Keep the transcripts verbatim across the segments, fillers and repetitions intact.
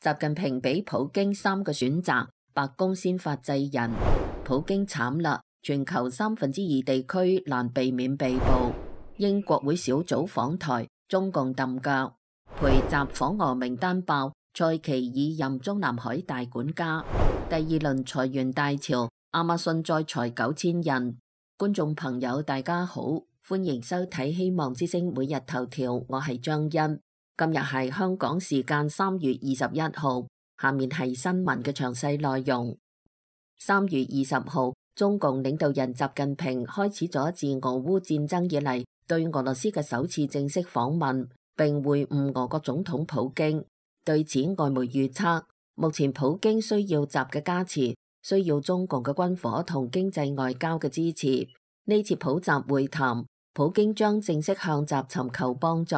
習近平俾普京三個選擇，白宮先發制人。普京慘啦，全球三分之二地區難避免被捕。英國會小組訪台，中共揼腳。陪習訪俄名單爆，蔡奇已任中南海大管家。第二輪裁員大潮，亞馬遜再裁九千人。觀眾朋友大家好，歡迎收睇希望之聲每日頭條，我係張欣。今日係香港時間三月二十一號，下面係新聞嘅詳細內容。三月二十號，中共領導人習近平開始咗自俄烏戰爭以嚟對俄羅斯嘅首次正式訪問，並會晤俄國總統普京。對此，外媒預測，目前普京需要習嘅加持，需要中共嘅軍火同經濟外交嘅支持。呢次普習會談，普京將正式向習尋求幫助。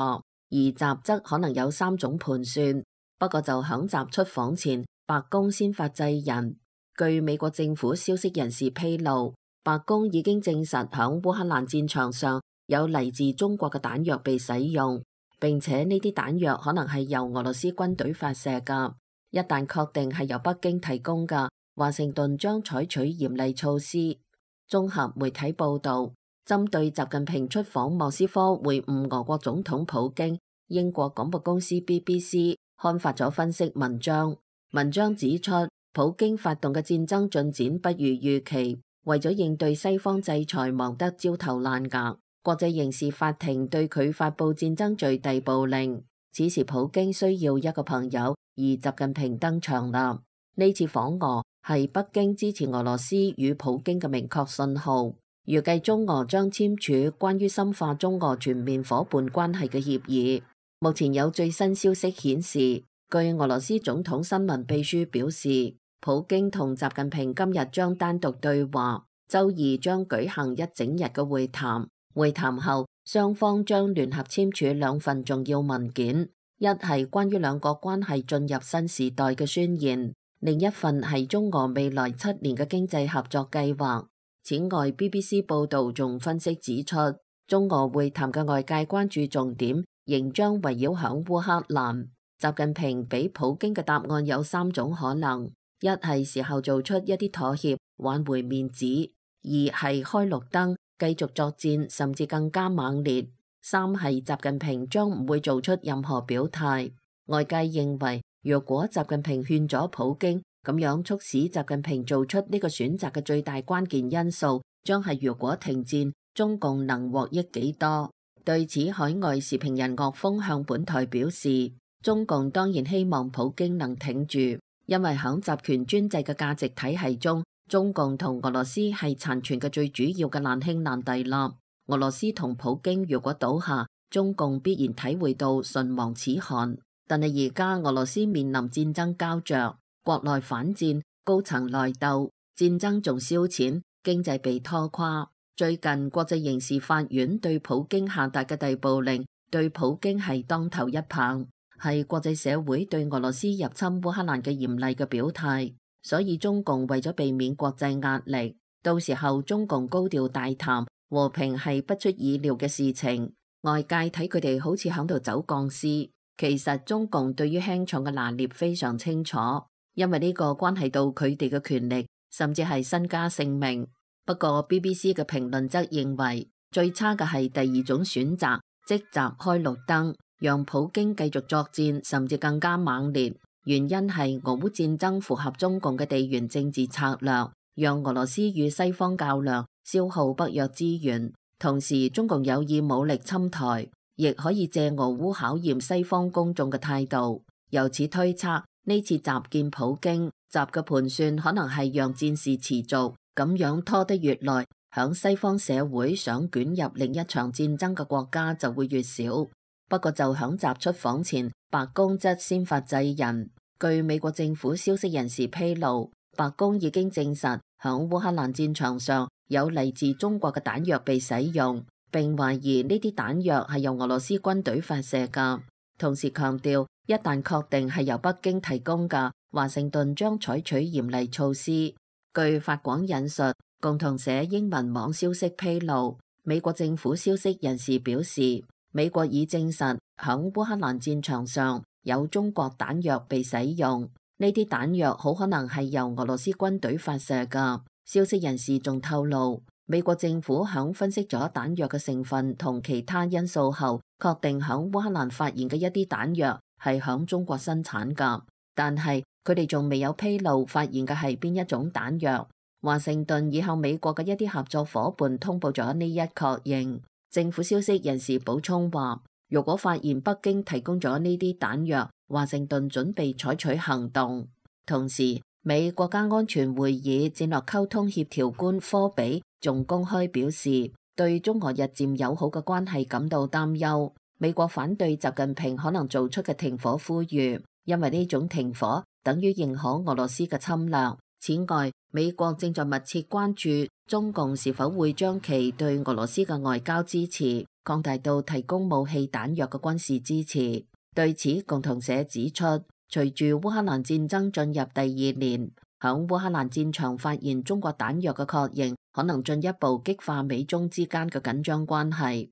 而習則可能有三種盤算，不過就響習出訪前，白宮先發制人。據美國政府消息人士披露，白宮已經證實響烏克蘭戰場上有嚟自中國嘅彈藥被使用，並且呢啲彈藥可能係由俄羅斯軍隊發射㗎。一旦確定係由北京提供㗎，華盛頓將採取嚴厲措施。綜合媒體報道，針對習近平出訪莫斯科會晤俄國總統普京，英國廣播公司 B B C 刊發咗分析文章。文章指出，普京發動嘅戰爭進展不如預期，為咗應對西方制裁忙得焦頭爛額。國際刑事法庭對佢發佈戰爭罪逮捕令。此時普京需要一個朋友，而習近平登場啦。呢次訪俄係北京支持俄羅斯與普京嘅明確信號。預計中俄將簽署關於深化中俄全面夥伴關係嘅協議。目前有最新消息顯示，據俄羅斯總統新聞秘書表示，普京同習近平今日將單獨對話，周二將舉行一整日嘅會談。會談後，雙方將聯合簽署兩份重要文件，一係關於兩國關係進入新時代嘅宣言，另一份係中俄未來七年嘅經濟合作計劃。此外 ，B B C 報道仲分析指出，中俄會談嘅外界關注重點仍將圍繞響烏克蘭。習近平俾普京嘅答案有三種可能：一係時候做出一啲妥協，挽回面子；二係開綠燈，繼續作戰，甚至更加猛烈；三係習近平將唔會做出任何表態。外界認為，若果習近平勸咗普京，咁樣促使習近平做出呢個選擇嘅最大關鍵因素，將係如果停戰，中共能獲益幾多？對此，海外時評人岳峰向本台表示，中共當然希望普京能挺住，因為響集權專制嘅價值體系中，中共同俄羅斯係殘存嘅最主要嘅難兄難弟啦。俄羅斯同普京如果倒下，中共必然體會到唇亡齒寒。但係而家俄羅斯面臨戰爭膠着。國內反戰，高層內鬥，戰爭仲燒錢，經濟被拖垮。最近國際刑事法院對普京下達嘅逮捕令，對普京係當頭一棒，係國際社會對俄羅斯入侵烏克蘭嘅嚴厲嘅表態。所以中共為咗避免國際壓力，到時候中共高調大談和平係不出意料嘅事情。外界睇佢哋好似響度走鋼絲，其實中共對於輕重嘅拿捏非常清楚。因為呢個關係到佢哋嘅權力，甚至係身家性命。不過 B B C 嘅評論則認為，最差嘅係第二種選擇，即習開綠燈，讓普京繼續作戰，甚至更加猛烈。原因係俄烏戰爭符合中共嘅地緣政治策略，讓俄羅斯與西方較量，消耗北約資源。同時，中共有意武力侵台，亦可以借俄烏考驗西方公眾嘅態度。由此推測，呢次習見普京，習嘅盤算可能係讓戰事持續，咁樣拖得越耐，響西方社會想捲入另一場戰爭嘅國家就會越少。不過就響習出訪前，白宮則先發制人。據美國政府消息人士披露，白宮已經證實響烏克蘭戰場上有嚟自中國嘅彈藥被使用，並懷疑呢啲彈藥係由俄羅斯軍隊發射㗎。同時強調，一旦確定係由北京提供嘅，華盛頓將採取嚴厲措施。據法廣引述共同社英文網消息披露，美國政府消息人士表示，美國已證實響烏克蘭戰場上有中國彈藥被使用，呢啲彈藥好可能係由俄羅斯軍隊發射㗎。消息人士仲透露，美國政府響分析咗彈藥嘅成分同其他因素後，確定響烏克蘭發現嘅一啲彈藥係響中國生產㗎，但係佢哋仲未有披露發現嘅係邊一種彈藥。華盛頓已向美國嘅一啲合作夥伴通報咗呢一確認。政府消息人士補充話，如果發現北京提供咗呢啲彈藥，華盛頓準備採取行動。同時，美國家安全會議戰略溝通協調官科比仲公開表示，對中俄日漸友好嘅關係感到擔憂。美國反對習近平可能做出嘅停火呼籲，因為呢種停火等於認可俄羅斯嘅侵略。此外，美國正在密切關注中共是否會將其對俄羅斯嘅外交支持擴大到提供武器彈藥嘅軍事支持。對此，共同社指出，隨住烏克蘭戰爭進入第二年，響烏克蘭戰場發現中國彈藥嘅確認，可能進一步激化美中之間嘅緊張關係。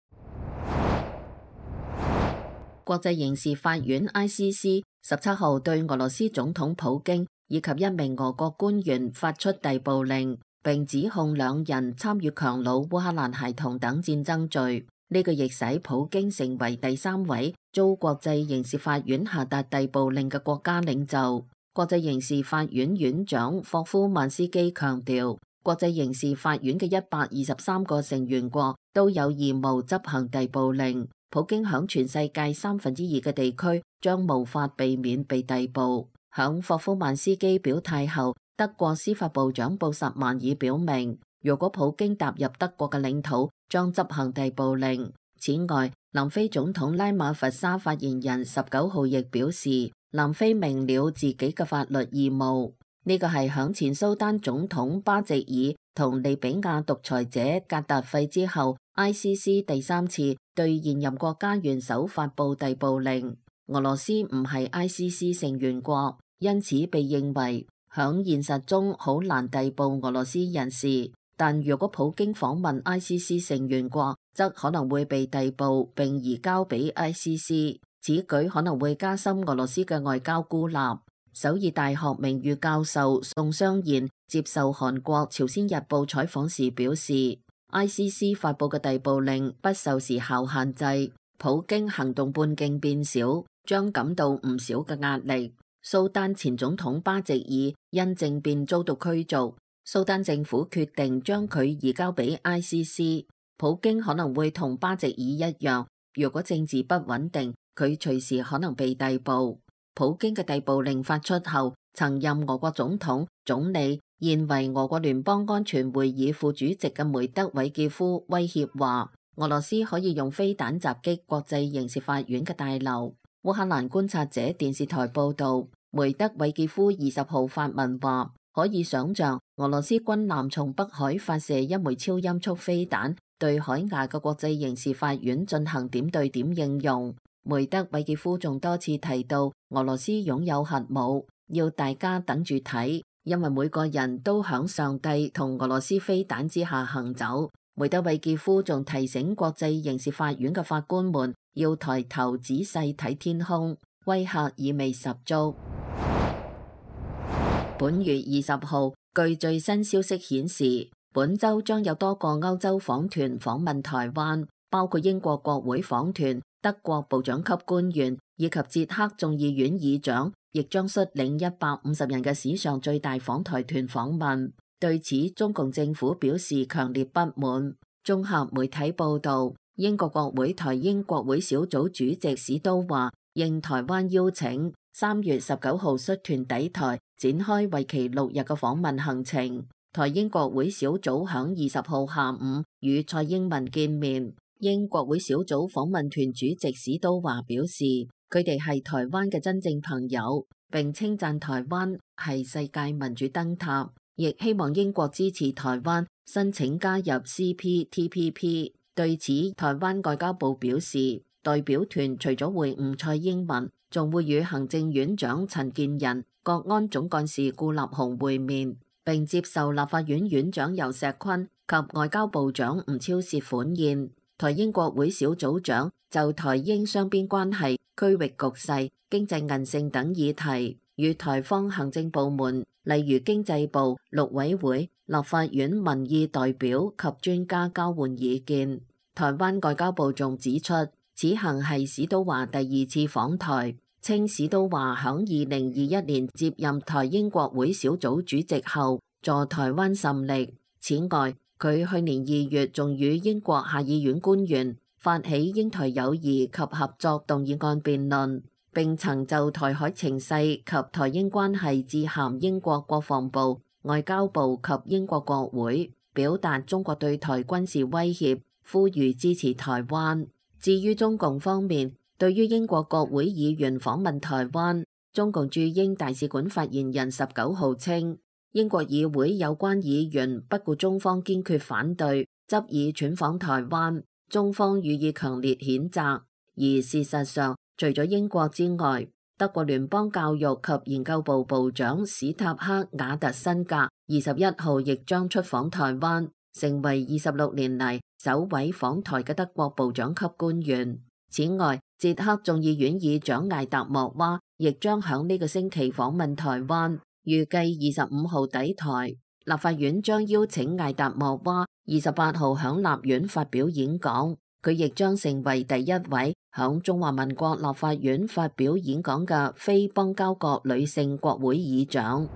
國際刑事法院 I C C 十七號對俄羅斯總統普京以及一名俄國官員發出逮捕令，並指控兩人參與強擄烏克蘭孩童等戰爭罪。呢個亦使普京成為第三位遭國際刑事法院下達逮捕令嘅國家領袖。國際刑事法院院長霍夫曼斯基強調，國際刑事法院嘅一百二十三個成員國都有義務執行逮捕令。普京響全世界三分之二嘅地區將無法避免被逮捕。響霍夫曼斯基表態後，德國司法部長布什曼爾表明，如果普京踏入德國嘅領土，將執行逮捕令。此外，南非總統拉馬佛沙發言人十九號亦表示，南非明了自己嘅法律義務。呢個係響前蘇丹總統巴席爾同利比亞獨裁者格達費之後 ，I C C 第三次對現任國家元首發布逮捕令。俄羅斯唔係 I C C 成員國，因此被認為響現實中好難逮捕俄羅斯人士。但如果普京訪問 I C C 成員國，則可能會被逮捕並移交俾 I C C。此舉可能會加深俄羅斯嘅外交孤立。首爾大學名譽教授宋湘燕接受韓國朝鮮日報採訪時表示 ，I C C 發布嘅逮捕令不受時效限制，普京行動半徑變小，將感到唔少嘅壓力。蘇丹前總統巴席爾因政變遭到驅逐，蘇丹政府決定將佢移交俾 I C C。普京可能會同巴席爾一樣，如果政治不穩定，佢隨時可能被逮捕。普京嘅逮捕令發出後，曾任俄國總統、總理、現為俄國聯邦安全會議副主席嘅梅德韋傑夫威脅話，俄羅斯可以用飛彈襲擊國際刑事法院嘅大樓。烏克蘭觀察者電視台報道，梅德韋傑夫二十號發文話，可以想象俄羅斯軍艦從北海發射一枚超音速飛彈，對海牙嘅國際刑事法院進行點對點應用。梅德韋傑夫仲多次提到俄羅斯擁有核武，要大家等住睇，因為每個人都響上帝同俄羅斯飛彈之下行走。梅德韋傑夫仲提醒國際刑事法院嘅法官們要抬頭仔細睇天空，威嚇意味十足。本月二十號，據最新消息顯示，本周將有多個歐洲訪團訪問台灣，包括英國國會訪團、德國部長級官員以及捷克眾議院議長，亦將率領一百五十人嘅史上最大訪台團訪問。對此，中共政府表示強烈不滿。綜合媒體報道，英國國會台英國會小組主席史都華應台灣邀請，三月十九號率團抵台，展開為期六日嘅訪問行程。台英國會小組響二十號下午與蔡英文見面。英國會小組訪問團主席史都華表示，佢哋係台灣嘅真正朋友，並稱讚台灣係世界民主燈塔，亦希望英國支持台灣申請加入 C P T P P。對此，台灣外交部表示，代表團除咗會晤蔡英文，仲會與行政院長陳建仁、國安總幹事顧立雄會面，並接受立法院院長游錫堃及外交部長吳釗燮款宴。台英國會小組長就台英雙邊關係區域局勢、經濟韌性等議題，與台方行政部門，例如經濟部、陸委會、立法院民意代表及專家交換意見。台灣外交部仲指出，此行係史都華第二次訪台，稱史都華響二零二一年接任台英國會小組主席後，助台灣甚力。此外，佢去年二月仲與英國下議院官員發起英台友誼及合作動議案辯論，並曾就台海情勢及台英關係致函英國國防部、外交部及英國國會，表達中國對台軍事威脅，呼籲支持台灣。至於中共方面，對於英國國會議員訪問台灣，中共駐英大使館發言人十九號稱，英國議會有關議員不顧中方堅決反對，執意竄訪台灣，中方予以強烈譴責。而事實上，除咗英國之外，德國聯邦教育及研究部部長史塔克瓦特辛格二十一號亦將出訪台灣，成為二十六年嚟首位訪台嘅德國部長級官員。此外，捷克眾議院議長艾達莫娃亦將響呢個星期訪問台灣，預計二十五號抵台。立法院將邀請艾達莫娃二十八號響立院發表演講，佢亦將成為第一位響中華民國立法院發表演講嘅非邦交國女性國會議長。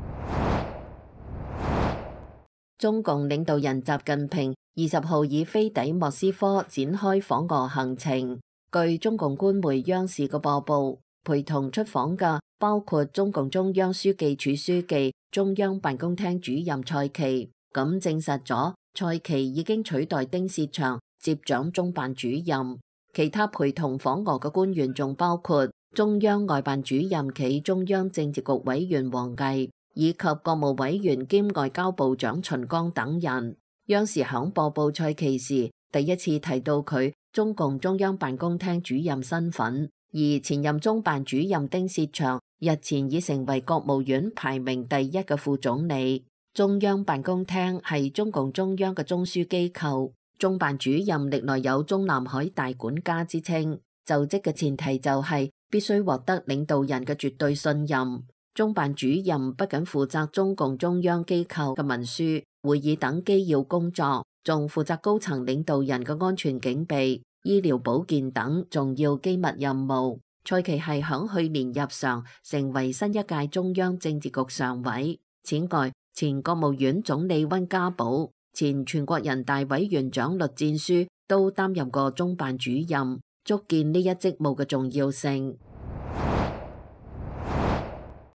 中共領導人習近平二十號以飛抵莫斯科展開訪俄行程。據中共官媒央視嘅播報，陪同出訪嘅包括中共中央書記處書記、中央辦公廳主任蔡奇，咁證實咗蔡奇已經取代丁薛祥接掌中辦主任。其他陪同訪俄嘅官員仲包括中央外辦主任暨中央政治局委員王毅，以及國務委員兼外交部長秦剛等人。央視響播報蔡奇時，第一次提到佢中共中央辦公廳主任身份，而前任中辦主任丁薛祥日前已成為國務院排名第一嘅副總理。中央辦公廳係中共中央嘅中樞機構，中辦主任歷來有中南海大管家之稱，就職嘅前提就係必須獲得領導人嘅絕對信任。中辦主任不僅負責中共中央機構嘅文書、會議等機要工作，仲負責高層領導人嘅安全警備、醫療保健等重要機密任務。蔡奇係響去年入常，成為新一屆中央政治局常委。此外，前國務院總理溫家寶、前全國人大委員長栗戰書都擔任過中辦主任，足見呢一職務嘅重要性。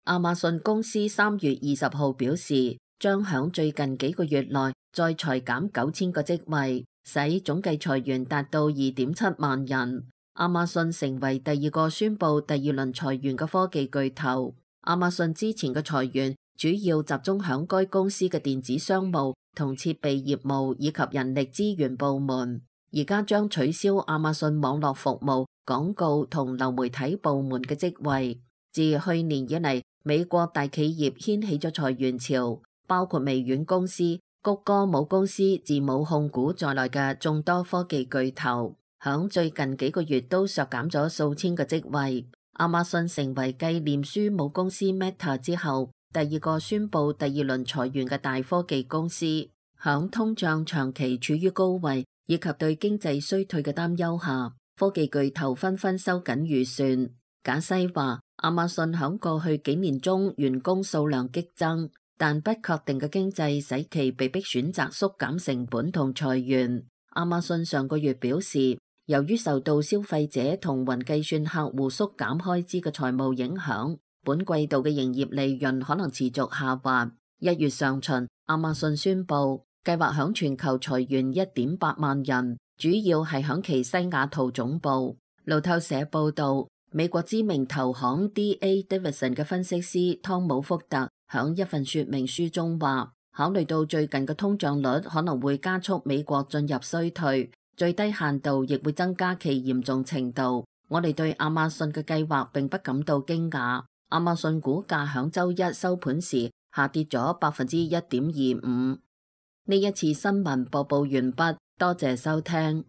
亞馬遜公司三月二十號表示，將響最近幾個月內再裁減九千個職位，使總計裁員達到二點七萬人。亞馬遜成為第二個宣布第二輪裁員嘅科技巨頭。亞馬遜之前嘅裁員主要集中響該公司嘅電子商務同設備業務以及人力資源部門，而家將取消亞馬遜網絡服務、廣告同流媒體部門嘅職位。自去年以嚟，美國大企業掀起咗裁員潮，包括微軟公司、谷歌母公司字母控股在內嘅眾多科技巨頭，響最近幾個月都削減咗數千個職位。亞馬遜成為繼臉書母公司 Meta 之後，第二個宣布第二輪裁員嘅大科技公司。響通脹長期處於高位以及對經濟衰退嘅擔憂下，科技巨頭紛紛收緊預算。賈西話，亞馬遜響過去幾年中員工數量激增，但不確定嘅經濟使其被迫選擇縮減成本同裁員。亞馬遜上個月表示，由於受到消費者同雲計算客戶縮減開支嘅財務影響，本季度嘅營業利潤可能持續下滑。一月上旬，亞馬遜宣布計劃響全球裁員一點八萬人，主要係響其西雅圖總部。路透社報道，美國知名投行 D A Davidson 嘅分析師湯姆福特響一份說明書中話，考慮到最近嘅通脹率可能會加速美國進入衰退，最低限度亦會增加其嚴重程度。我哋對亞馬遜嘅計劃並不感到驚訝。亞馬遜股價響周一收盤時下跌咗百分之一點二五。呢一次新聞播報完畢，多謝收聽。